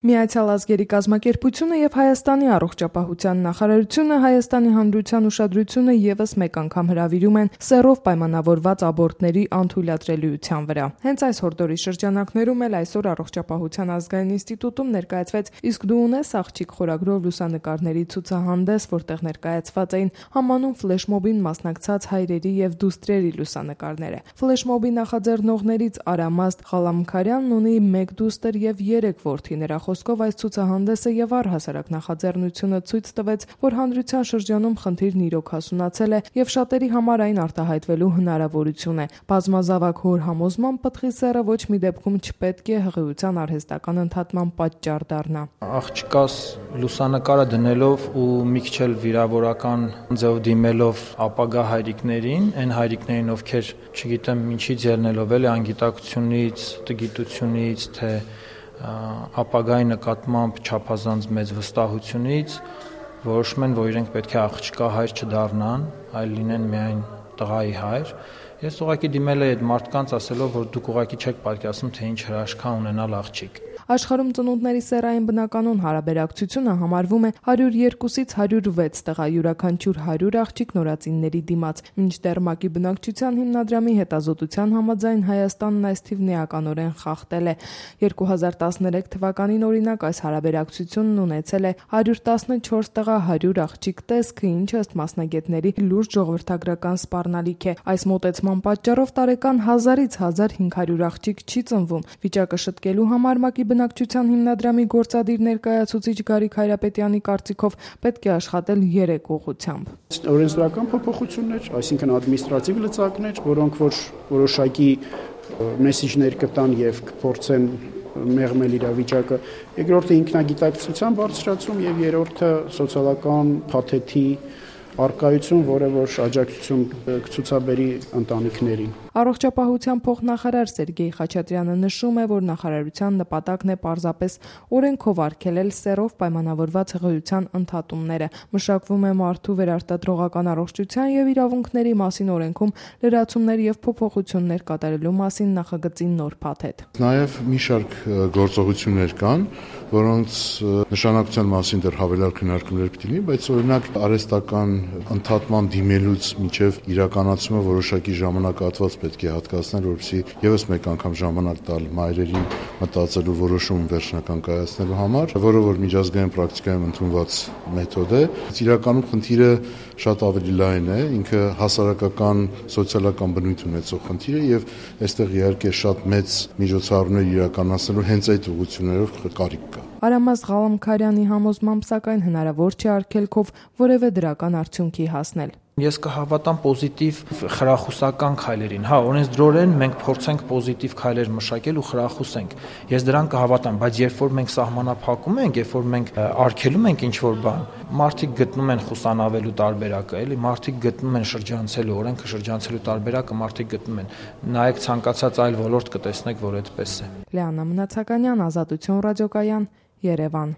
Միացյալ ազգերի կազմակերպությունը եւ Հայաստանի առողջապահության նախարարությունը Հայաստանի Հանրության ուշադրությունը եւս մեկ անգամ հրավիրում են սեռով պայմանավորված աբորտների անթույլատրելիության վրա։ Հենց այս հորդորի շրջանակներում էլ այսօր Առողջապահության ազգային ինստիտուտում ներկայացվեց «Իսկ դու ունես աղջիկ» խորագրով լուսանկարների ցուցահանդես, որտեղ ներկայացված էին համանուն ֆլեշմոբին մասնակցած հայրերի եւ դուստրերի լուսանկարները։ Ֆլեշմոբի նախաձեռնողներից Արամաստ Ղալամքարյանն ունի 1 դուստր եւ 3 որդի։ Նրա խոսքով այս ցուցահանդեսը եւ առհասարակ նախաձեռնությունը ցույց տվեց, որ հանրության շրջանում խնդիրն իրոք հասունացել է եւ շատերի համար այն արտահայտվելու հնարավորություն է։ Բազմազավակ հոր համոզմամբ պտղի սեռը ոչ մի դեպքում չպետք է հղիության արհեստական ընդհատման պատճառ դառնա։ Աղջկաս լուսանկարը դնելով ու մի քիչ էլ վիրավորական ձև դիմելով ապագա հայրիկներին, այն հայրիկներին, ովքեր չգիտեմ ինչից ելնելով էլի անգիտակցությունից, տգիտությունից, թե ապագայի նկատմամբ չափազանց մեծ վստահությունից որոշում են, որ իրենք պետք է աղջկա հայր չդառնան, այլ լինեն միայն տղայի հայր։ Ես ուղղակի դիմել եմ այդ մարդկանց ասելով, որ դուք ուղղակի չեք պատկերացնում, թե ինչ հրաշքա ունենալ աղջիկ։ Աշխարհում ծնունդների սեռային բնականոն հարաբերակցությունը համարվում է 102-ից 106 տղա, յուրաքանչյուր 100 աղջիկ նորածինների դիմաց։ Մինչդեռ ՄԱԿ-ի բնակչության հիմնադրամի հետազոտության համաձայն Հայաստանն այս թիվն էականորեն խախտել է։ 2013 թվականին օրինակ այս հարաբերակցությունն ունեցել է 114 տղա 100 աղջիկ տեսքը, ինչը ըստ մասնագետների լուրջ ժողովրդագրական սպառնալիք է։ Այս մոտեցման պատճառով տարեկան 1000-ից 1500 աղջիկ չի ծնվում։ Վիճակը շտկելու համար ՄԱԿ-ի բնակչության հիմնադրամի գործադիր ներկայացուցիչ Գարիկ Հայրապետյանի կարծիքով պետք է աշխատել 3 ուղղությամբ։ Օրենսդրական փոփոխություններ, այսինքն ադմինիստրատիվ լծակներ, որոնք որ որոշակի մեսիջներ կտան եւ կփորձեն մեղմել իրավիճակը, երկրորդը ինքնագիտակցության բարձրացում եւ երրորդը սոցիալական փաթեթի արկայություն, որը որ աջակցություն կցուցաբերի ընտանիքներին։ Առողջապահության փոխնախարար Սերգեյ Խաչատրյանը նշում է, որ նախարարության նպատակն է պարզապես օրենքով արգելել սեռով պայմանավորված հղիության ընդհատումները։ Մշակվում է մարդու վերարտադրողական առողջության եւ իրավունքների մասին օրենքում լրացումներ եւ փոփոխություններ կատարելու մասին նախագծի նոր փաթեթ։ Նաեւ մի շարք գործողություններ կան, որոնց նշանակության մասին դեռ հավելյալ քննարկումներ պետք է լինի, բայց օրինակ արհեստական ընդհատման դիմելուց մինչև իրականացումը որոշակի ժամանակահատված պետք է հատկացնել, որպեսզի եւս մեկ անգամ ժամանակ տալ մայրերին մտածելու որոշում վերջնական կայացնելու համար, որը որ միջազգային պրակտիկայում ընդունված մեթոդ է։ Իրականում խնդիրը շատ ավելի լայն է, ինքը հասարակական, սոցիալական բնույթ ունեցող խնդիր է եւ այստեղ իհարկե շատ մեծ միջոցառումներ իրականացնելու հենց այդ ուղղություններով կարիք կա։ Արամաստ Ղալամքարյանի համոզմամբ սակայն հնարավոր չէ արգելքով որևէ դրական արդյունքի հասնել։ Ես կհավատամ պոզիտիվ խրախուսական քայլերին։ Հա, օրենսդրորեն մենք փորձենք պոզիտիվ քայլեր մշակել ու խրախուսենք։ Ես դրան կհավատամ, բայց երբ որ մենք սահմանափակում ենք, երբ որ մենք արգելում ենք ինչ-որ բան, մարդիկ գտնում են խուսանավելու տարբերակը, էլի, մարդիկ գտնում են շրջանցելու, օրենքը շրջանցելու տարբերակը մարդիկ գտնում են։ Նայեք ցանկացած այլ ոլորտ կտեսնեք, որ այդպես է։ Լիանա Մնացականյան, Ազատություն ռադիոկայան, Երևան։